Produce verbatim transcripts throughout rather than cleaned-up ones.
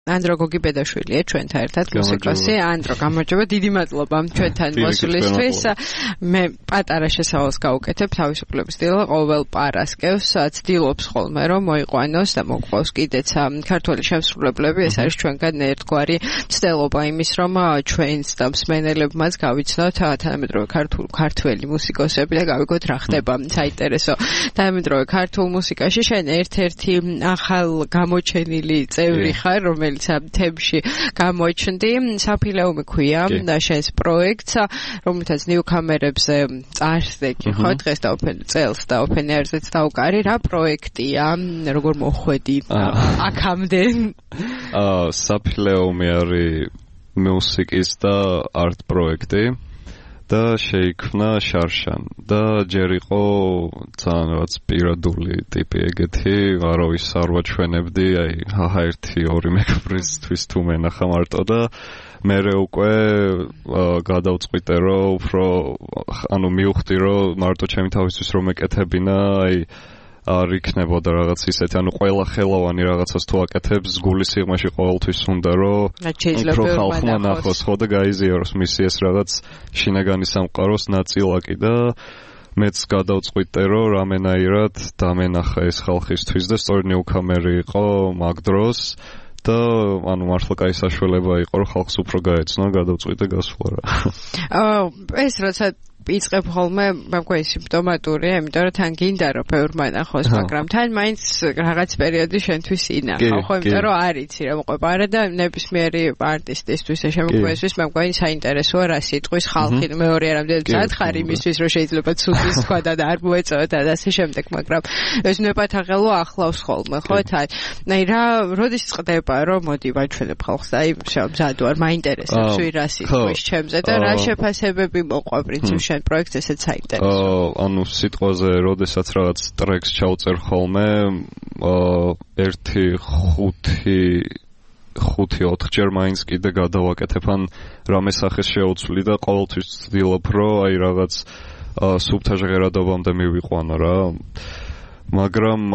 ანდრო გოგიბედაშვილია ჩვენთან ერთად მუსიკოსი. ანდრო, გამარჯობა, დიდი მადლობა ჩვენთან მოსვლისთვის. მე პატარა შესავალს გავუკეთებ თავისუფლების დილა ყოველ პარასკევს ცდილობს ხოლმე რომ მოიყვანოს და მოყვავს კიდეც ქართველი შემსრულებლები. ეს არის ჩვენგან ერთგვარი ცდილობა იმის რომ ჩვენს და მსმენელებმაც გავიცნოთ თანამედროვე ქართულ ქართველი მუსიკოსები და გავიგოთ რა ხდება საინტერესო თანამედროვე ქართულ მუსიკაში. შენ ერთ-ერთი ახალ გამოჩენილი წევრი ხარ, რომელიც თემში გამოჩნდი. საფილეუმი ქვია და შენს პროექტს, რომელთაც ნიუქამერებზე წარსდეგი ხო დღეს და ოფენ წელს და ოფენ ერზეც დაუკარი. რა პროექტია? როგორ მოხვედი აქამდე? აა საფილეუმი არის მუსიკის და არტ პროექტი და შეიქმნა შარშან და ჯერ იყო ძალიან რაღაც პირადული ტიპი ეგეთი, არავის არ ვაჩვენებდი, აი ჰაჰა ერთი ორი მეგობრისთვის თუ მენახა მარტო და მერე უკვე გადავწყვიტე რომ უფრო ანუ მივხვდი რომ მარტო ჩემი თავისთვის რომ ეკეთებინა, აი არ იქნებოდა რაღაც ისეთი, ანუ ყველა ხელოვანი რაღაცას თუ აკეთებს, გულის სიღრმეში ყოველთვის უნდა რომ უფრო ხალხმა ნახოს ხო და გაიზიაროს მისი ეს რაღაც შინაგანი სამყაროს ნაწილაკი და მეც გადავწყვიტე რომ რამენაირად დამენახა ეს ხალხისთვის და სწორედ ნიუქამერი იყო მაგ დროს და ანუ მართლა კაი საშუალება იყო რომ ხალხს უფრო გაეცნო, გადავწყვიტე გასვლა რა. აა ეს როცა იწყებ ხოლმე მაგგვარი სიმპტომატურია, იმიტომ რომ თან გინდა რომ ბევრმა ნახოს, მაგრამ თან მაინც რაღაც პერიოდი შენთვის ინახავ, ხო, იმიტომ რომ არ იცი რა მოყვება არა და ნებისმიერი არტისტისთვის და შემოქმედისთვის მაგგვარი საინტერესოა რა სიტყვის ხალხი მეორე არამდენ სათხარ იმისთვის რომ შეიძლება ცუდი თქვა და არ მოეწოოთ და ასე შემდეგ, მაგრამ ეს ნებათაღელო ახლავს ხოლმე, ხო, თან. აი რა, როდის წყდება რომ მოდი ვაჩვენებ ხალხს და აი მზად ვარ, მაინტერესებს ვი რა სიტყვის ჩემზე და რა შეფასებები მოყვა პრინციპში პროექტს ესეც საინტერესო. აა ანუ სიტყვაზე, როდესაც რაღაც ტრეკს ჩავწერ ხოლმე, აა ერთი ხუთი ხუთი ოთხჯერ მაინც კიდე გადავაკეთებ ან რამე სახეს შეუცვლი და ყოველთვის ვცდილობ რომ აი რაღაც სუბთა ჟღერადობამდე მივიყვანო რა. მაგრამ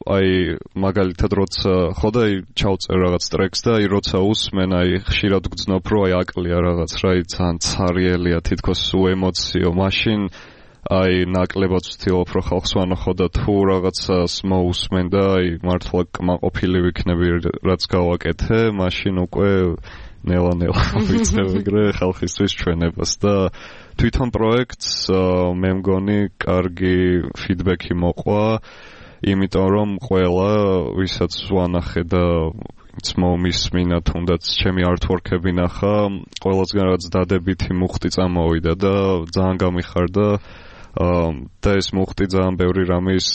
აი მაგალითად როცა ხო და აი ჩავწერ რაღაც ტრეკს და აი როცა usmen აი ხშირად გძნობ რომ აი აკლია რაღაც რა აი ძალიან ცარიელია თითქოს უემოციო მაშინ აი ნაკლებად ვცდილობ რომ ხალხს ვანახო და თუ რაღაცას მოусმენ და აი მართლა კმაყოფილი ვიქნები რაც გავაკეთე მაშინ უკვე ნელა-ნელა ვიცნობ ეგრე ხალხისთვის ჩვენებას და თვითონ პროექტს მე მგონი კარგი ფიდბექი მოყვა, იმიტომ რომ ყველა ვისაც ვანახე და მომისმინა თუნდაც ჩემი არტვორკები ნახა, ყველასგან რაღაც დადებითი მუხტი წამოვიდა და ძალიან გამიხარდა და ეს მუხტი ძალიან ბევრი რამის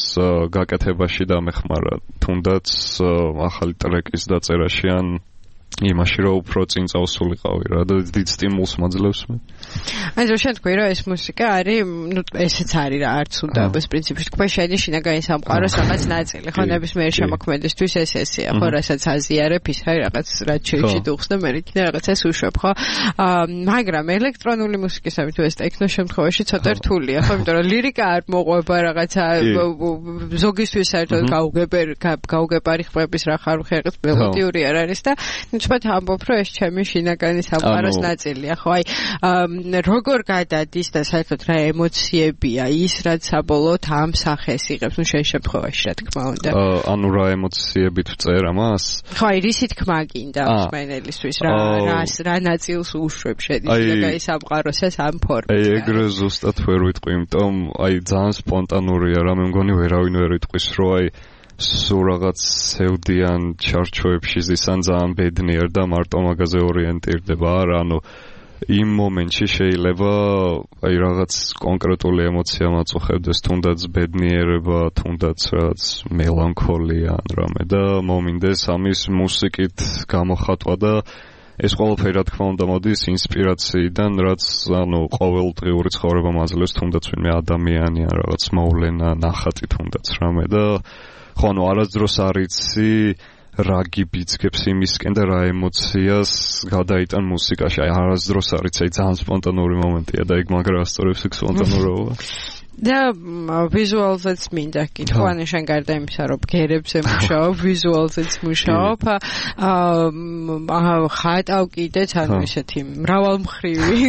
გაკეთებაში დამეხმარა, თუნდაც ახალი ტრეკის დაწერაში ან იმაში რომ უფრო წინ წავსულიყავი რა და დიდ სტიმულს მაძლევს მე. აი რო შენ თქვი რომ ეს მუსიკა არის, ნუ ესეც არის რა, არც უნდა ეს პრინციპში თქვა შენი შინაგანი სამყაროს რაღაც ნაწილი, ხო ნებისმიერ შემოქმედისთვის ეს ესეა, ხო რასაც აზიარებ ის არის რაღაც რაც შეიჩიდუხს და მე იქნა რაღაცას უშვებ, ხო? მაგრამ ელექტრონული მუსიკისამით თუ ეს ტექნო შემთხვევაში ცოტა რთულია, ხო, იმიტომ რომ ლირიკა არ მოყვება რაღაცა ზოგისთვის საერთოდ გაუგებარ გაუგებარი ხმების რა ხარუხი არის მელოდიური არ არის და თქვათ ამბობ რომ ეს ჩემი შინაგანი სამყაროს ნაწილია, ხო? აი როგორ გადადის და საერთოდ რა ემოციებია ის რაც საბოლოოდ ამ სახეს იღებს, ნუ შენ შემთხვევაში რა თქმა უნდა. ანუ რა ემოციებით ვწერ ამას? ხო, აი რისი თქმა გინდა მსმენელისთვის, რა რას რა ნაწილს უშვებ შენი შინაგანი სამყაროს ეს ამ ფორმით. აი ეგრე ზუსტად ვერ ვიტყვი, იმიტომ აი ძალიან სპონტანურია რა, მე მგონი ვერავინ ვერ იტყვის რომ აი სულ რაღაც სევდიან ჩარჩოებში ზისან ძალიან ბედნიერ და მარტო მაგაზე ორიენტირდება არა, ანუ იმ მომენტში შეიძლება აი რაღაც კონკრეტული ემოცია მაწუხებდეს, თუნდაც ბედნიერება, თუნდაც რაღაც მელანქოლია ან რამე და მომინდეს ამის მუსიკით გამოხატვა და ეს ყველაფერი რა თქმა უნდა მოდის ინსპირაციიდან, რაც ანუ ყოველდღიური ცხოვრება მაძლევს, თუნდაც ვინმე ადამიანი ან რაღაც მოვლენა, ნახატი თუნდაც რამე და ხო ანუ არასდროს არ იცი რა გიბიძგებს იმისკენ და რა ემოციას გადაიტან მუსიკაში. აი არასდროს არ იცი, ძალიან სპონტანური მომენტია და ეგ მაგრა ასწორებს ეგ სპონტანურობა. და ვიზუალზეც მინდა კითხვანი შენ გარდა იმისა რომ გერებზე მუშაობ ვიზუალზეც მუშაობ აა ხატავ კიდეც ანუ ისეთი მრავალმხრივი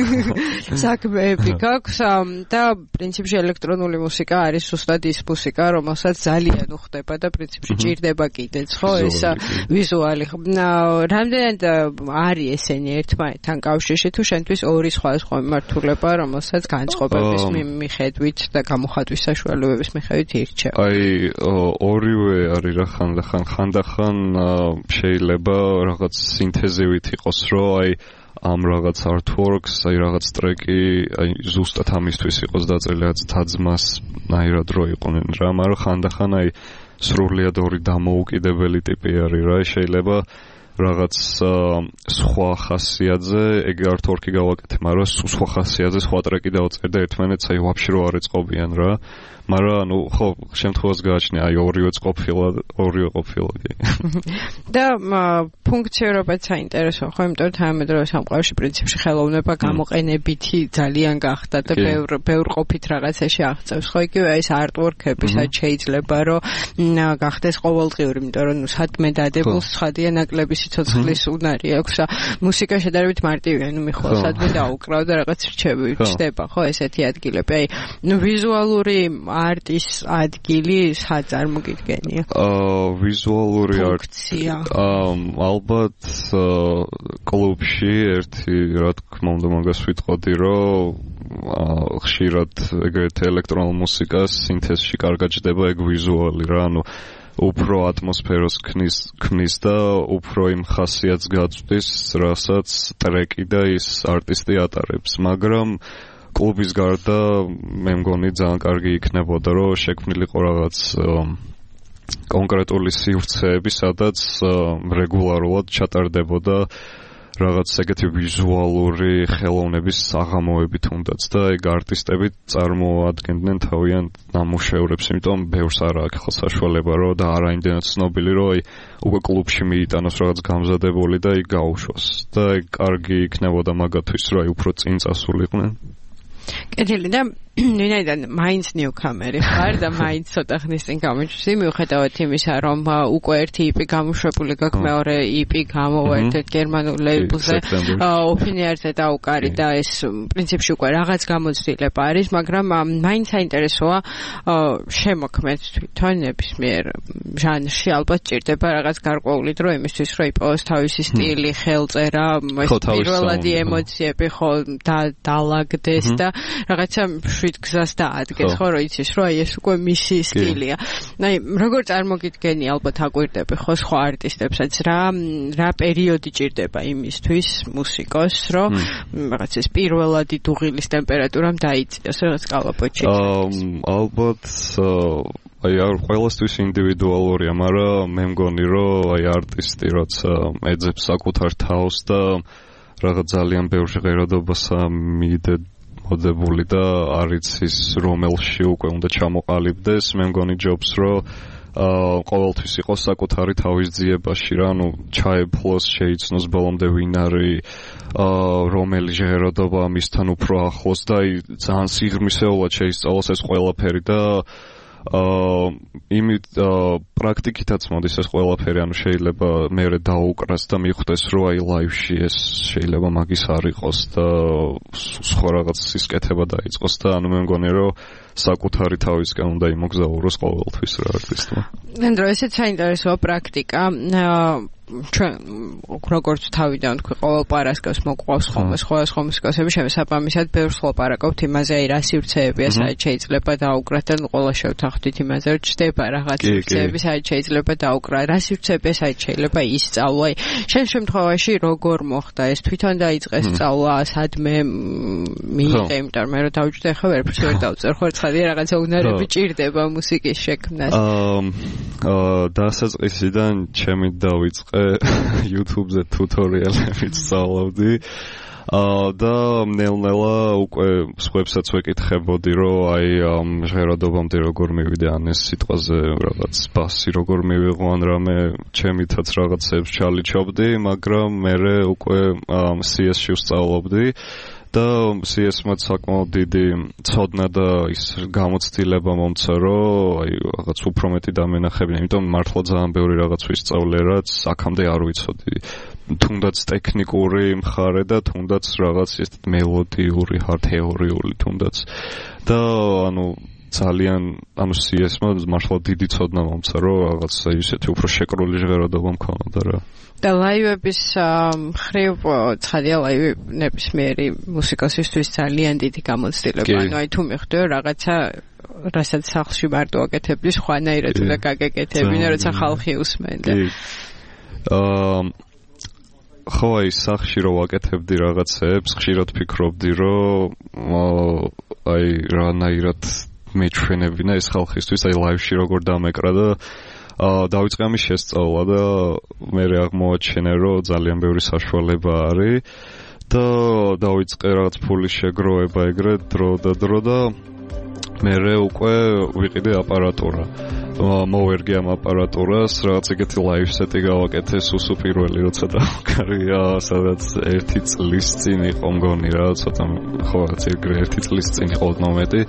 საქმეები გაქვს და პრინციპში ელექტრონული მუსიკა არის ზუსტად ის მუსიკა რომელსაც ძალიან უხდება და პრინციპში ჭირდება კიდეც ხო ეს ვიზუალი რამდენად არის ესენი ერთმანეთთან კავშირში თუ შენთვის ორი სხვადასხვა მიმართულება რომელსაც განწყობების მიხედვით და გამოხატვის საშუალებების მიხედვით ირჩევ. აი ორივე არის რა ხანდახან ხანდახან შეიძლება რაღაც სინთეზივით იყოს რომ აი ამ რაღაც artworks, აი რაღაც ტრეკი, აი ზუსტად ამისთვის იყოს დაწერილი, რაც თაძმას ნაირად რო იყვნენ რა, მაგრამ ხანდახან აი სრულიად ორი დამოუკიდებელი ტიპი არის რა, შეიძლება რაღაც სხვა ხასიათზე ეგ artwork-ი გავაკეთე, მაგრამ სხვა ხასიათზე სხვა ტრეკი დავწერე და ერთმანეთს აი ვაფშე რო არ ეწყობიან რა. მაგრამ ნუ ხო შემთხვევას გააჩნია აი ორივე ყოფილა ორივე ყოფილა და ფუნქციონირებაც საინტერესოა ხო იმიტომ რომ თანამედროვე სამყაროში პრინციპში ხელოვნება გამოყენებითი ძალიან გახდა და ბევრ ბევრ ყოფით რაღაცაში აღწევს ხო იგივე ეს artwork-ები სადაც შეიძლება რომ გახდეს ყოველდღიური იმიტომ რომ ნუ სადმე დადებულს ცხადია ნაკლები სიცოცხლის უნარი აქვს მუსიკა შედარებით მარტივია ნუ მიხვალ სადმე დაუკრავ და რაღაც რჩევი ჩდება ხო ესეთი ადგილები აი ნუ ვიზუალური არტის ადგილი სად წარმოგიდგენია? აა ვიზუალური არტი აა ალბათ კლუბში ერთი რა თქმა უნდა მაგას ვიტყოდი რომ ხშირად ეგრეთ ელექტრონულ მუსიკას სინთეზში კარგად ჭდება ეგ ვიზუალი რა ანუ უფრო ატმოსფეროს ქმნის ქმნის და უფრო იმ ხასიათს გაწვდის რასაც ტრეკი და ის არტისტი ატარებს მაგრამ კლუბის გარდა მე მგონი ძალიან კარგი იქნებოდა რომ შექმნილიყო რაღაც კონკრეტული სივრცეები სადაც რეგულარულად ჩატარდებოდა რაღაც ეგეთი ვიზუალური ხელოვნების საღამოები თუნდაც და ეგ არტისტები წარმოადგენდნენ თავიანთ ნამუშევრებს იმიტომ ბევრს არ აქვს ხო საშუალება რომ და არა იმდენად ცნობილი რომ აი უკვე კლუბში მიიტანოს რაღაც გამზადებული და იქ გაუშვას და ეგ კარგი იქნებოდა მაგათვის რომ აი უფრო წინ წასულიყვნენ კეთილი და ვინაიდან მაინც ნიუქამერი ხარ და მაინც ცოტა ხნის წინ გამოჩვდი მიუხედავად იმისა რომ უკვე ერთი იპი გამოშვებული გაქვს მეორე იპი გამოვა ერთ-ერთ გერმანულ ლეიბლზე ოფინიერზე დაუკარი და ეს პრინციპში უკვე რაღაც გამოცდილება არის მაგრამ მაინც საინტერესოა შემოქმედ თვითონ ნებისმიერ ჟანრში ალბათ ჭირდება რაღაც გარკვეული დრო იმისთვის რომ იპოვოს თავისი სტილი ხელწერა პირველადი ემოციები ხო დალაგდეს და რაღაცა გზას დაადგეს ხო რომ იცის რომ აი ეს უკვე მისი სტილია. აი როგორ წარმოგიდგენი ალბათ აკვირდები ხო სხვა არტისტებსაც რა რა პერიოდი ჭირდება იმისთვის მუსიკოს რომ რაღაც ეს პირველადი დუღილის ტემპერატურამ დაიწიოს რაღაც კალაპოჩი. ალბათ აი არ ყველასთვის ინდივიდუალურია, მაგრამ მე მგონი რომ აი არტისტი როცა ეძებს საკუთარ თავს და რაღაც ძალიან ბევრ ჟღერადობას მიდე მოდებული და არის ის რომელში უკვე უნდა ჩამოყალიბდეს მე მგონი ჯობს რომ აა ყოველთვის იყოს საკუთარი თავის ძიებაში რა ანუ ჩაეფლოს შეიცნოს ბოლომდე ვინ არის აა რომელი ჟღერადობა მისთან უფრო ახლოს და აი ძალიან სიღრმისეულად შეისწავლოს ეს ყველაფერი და აა იმით პრაქტიკითაც მოდის ეს ყველაფერი ანუ შეიძლება მერე დაუკრას და მიხვდეს რომ აი ლაივში ეს შეიძლება მაგის არ იყოს და სხვა რაღაც სისკეთება დაიწყოს და ანუ მე მგონი რომ საკუთარი თავისკენ უნდა იმოგზაუროს ყოველთვის რა არტისტმა. ნენდრო ესეც საინტერესოა პრაქტიკა ჩვენ როგორც თავიდან თქვი ყოველ პარასკევს მოყვავს ხოლმე სხვადასხვა მუსიკოსები შესაბამისად ბევრს ვლაპარაკობთ იმაზე აი რა სივრცეებია სადაც შეიძლება დაუკრათ და ყველა შევთანხმდით იმაზე რომ ჩდება რაღაც სივრცეები სადაც შეიძლება დაუკრა რა სივრცეებია სადაც შეიძლება ისწავლა შენ შემთხვევაში როგორ მოხდა ეს თვითონ დაიწყეს სწავლა სადმე მიიღე იმიტომ რომ დავიჯდე ხა ვერაფერს ვერ დავწერ ხო ცხადია რაღაცა უნარები ჭირდება მუსიკის შექმნას აა დასაწყისიდან ჩემი დავიწყე YouTube-ზე ტუტორიალები სწავლობდი. აა და ნელ-ნელა უკვე სხვებსაც ვეკითხებოდი, რომ აი ამ ჟღერადობამდე როგორ მივიდე ან ეს სიტყვაზე რაღაც ბასი როგორ მივიღო ან რამე ჩემითაც რაღაცებს ჩალიჩობდი, მაგრამ მე უკვე სი ეს-ში ვსწავლობდი. და სი ეს-მაც საკმაოდ დიდი ცოდნა და ის გამოცდილება მომცა, რომ აი რაღაც უფრო მეტი დამენახებინა, იმიტომ მართლა ძალიან ბევრი რაღაც ვისწავლე, რაც აქამდე არ ვიცოდი. თუნდაც ტექნიკური მხარე და თუნდაც რაღაც ეს მელოდიური, თეორიული თუნდაც. და ანუ ძალიან ანუ სი ეს-მა მართლა დიდი ცოდნა მომცა, რომ რაღაცა ისეთი უფრო შეკრული ჟღერადობა მქონოდა რა. და ლაივების მხრივ ცხადია ლაივი ნებისმიერი მუსიკოსისთვის ძალიან დიდი გამოცდილება. ანუ აი თუ მიხვდე რაღაცა რასაც სახლში მარტო აკეთებდი, სხვანაირად უნდა გაგეკეთებინა, როცა ხალხი usმენდა. აა ხო აი სახლში რო ვაკეთებდი რაღაცებს, ხშირად ფიქრობდი, რომ აი რანაირად მეჩვენებინა ეს ხალხისთვის, აი ლაივში როგორ დამეკრა და აა დავიწყე ამის შესწავლა და მე აღმოაჩინე, რომ ძალიან ბევრი საშუალება არის და დავიწყე რაღაც ფულის შეგროვება ეგრე დრო და დრო და მე უკვე ვიყიდე აპარატურა. მოვერგე ამ აპარატურას, რაღაც ეგეთი ლაივ სეტი გავაკეთე სუსუ პირველი, როცა დავკარია, სადაც ერთი წლის წინ იყო მგონი რა, ცოტა ხო რაღაც ეგრე ერთი წლის წინ იყო ოდნავ მეტი.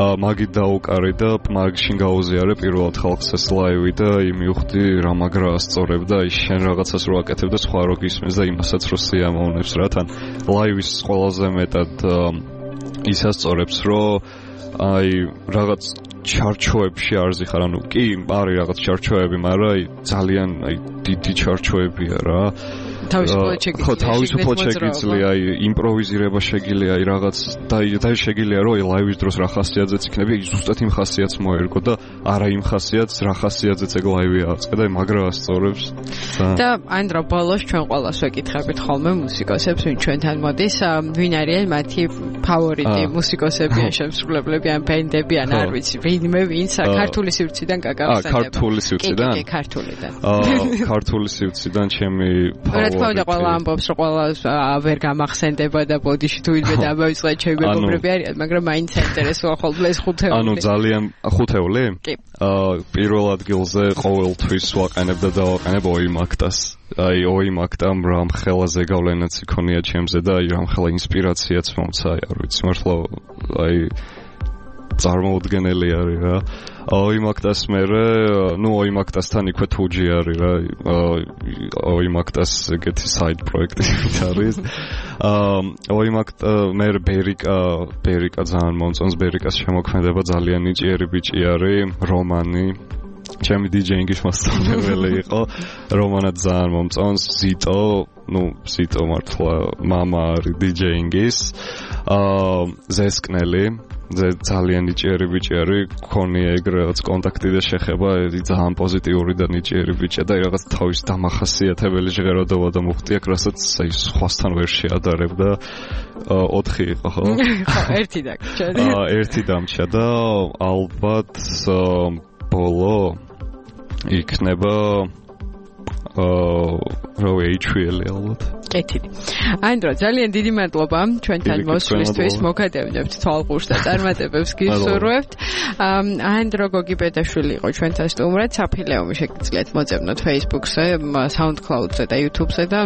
აა მაგით დავუკარი და მაგშინ გაუზიარე პირველად ხალხს ეს ლაივი და იმივხვდი რა მაგრა ასწორებ და ის შენ რაღაცას რო აკეთებ და სხვა რო გისმენს და იმასაც რო სიამოვნებს რა, თან ლაივის ყველაზე მეტად ის ასწორებს, რომ აი რაღაც ჩარჩოებში არ ზიხარ, ანუ კი არის რაღაც ჩარჩოები, მაგრამ აი ძალიან აი დიდი ჩარჩოებია რა. თავისუფლად შეგიძლია. ხო, თავისუფლად შეგიძლია, აი იმპროვიზირება შეგიძლია, აი რაღაც და და შეგიძლია რომ აი ლაივის დროს რა ხასიათზეც იქნება, აი ზუსტად იმ ხასიათს მოერგო და არა იმ ხასიათს, რა ხასიათზეც ეგ ლაივი აწყდა, აი მაგრა ასწორებს. და ანდრო ბოლოს ჩვენ ყველას ვეკითხებით ხოლმე მუსიკოსებს, ვინ ჩვენთან მოდის, ვინ არიან მათი ფავორიტი მუსიკოსები, შემსრულებლები, ან ბენდები, ან არ ვიცი, ვინმე ვინც ქართული სივრციდან გაგახსენდება. აა ქართული სივრციდან? კი, კი, ქართულიდან. აა ქართული სივრციდან ჩემი ფავორიტი. რა თქმა უნდა, ყველა ამბობს, რომ ყველა ვერ გამახსენდება და ბოდიში თუ ვინმე დამავიწყდა ჩემი მეგობრები არიან, მაგრამ მაინც საინტერესოა ხოლმე ეს ხუთეული. ანუ ძალიან ხუთეული? კი. აა პირველ ადგილზე ყოველთვის ვაყენებ და დავაყენებ ოიმაქტას. აი ოიმაქტამ რამხელა ზეგავლენაც იქონია ჩემზე და აი რამხელა ინსპირაციაც მომცა, აი არ ვიცი, მართლა აი წარმოუდგენელი არის რა. ოიმაქტას მერე, ნუ ოიმაქტასთან იქვე თუჯი არის რა. ოიმაქტას ეგეთი საიდ პროექტი არის. აა ოიმაქტ მერე ბერიკა, ბერიკა ძალიან მომწონს, ბერიკას შემოქმედება ძალიან ნიჭიერი ბიჭი არის, რომანი. ჩემი დიჯეინგის მასწავლებელი იყო, რომანად ძალიან მომწონს, ზიტო, ნუ ზიტო მართლა მამა არის დიჯეინგის. აა ზესკნელი ძალიან ნიჭიერი ბიჭი არის, გქონია ეგრე რაღაც კონტაქტი და შეხება, ძალიან პოზიტიური და ნიჭიერი ბიჭია და რაღაც თავის დამახასიათებელი ჟღერადობა და მუხტი აქვს, რასაც აი სხვასთან ვერ შეადარებ და ოთხი იყო ხო? ხო, ერთი დაგჭა. აა ერთი დამჭა და ალბათ ბოლო იქნება აა რა ვეიჩვილი ალბათ. კეთილი. ანდრო, ძალიან დიდი მადლობა ჩვენთან მოსვლისთვის, მოგადევნებთ თვალყურს და წარმატებებს გისურვებთ. ანდრო გოგიბედაშვილი იყო ჩვენთან სტუმრად, საფილეომი შეგიძლიათ მოწებნოთ Facebook-ზე, SoundCloud-ზე და YouTube-ზე და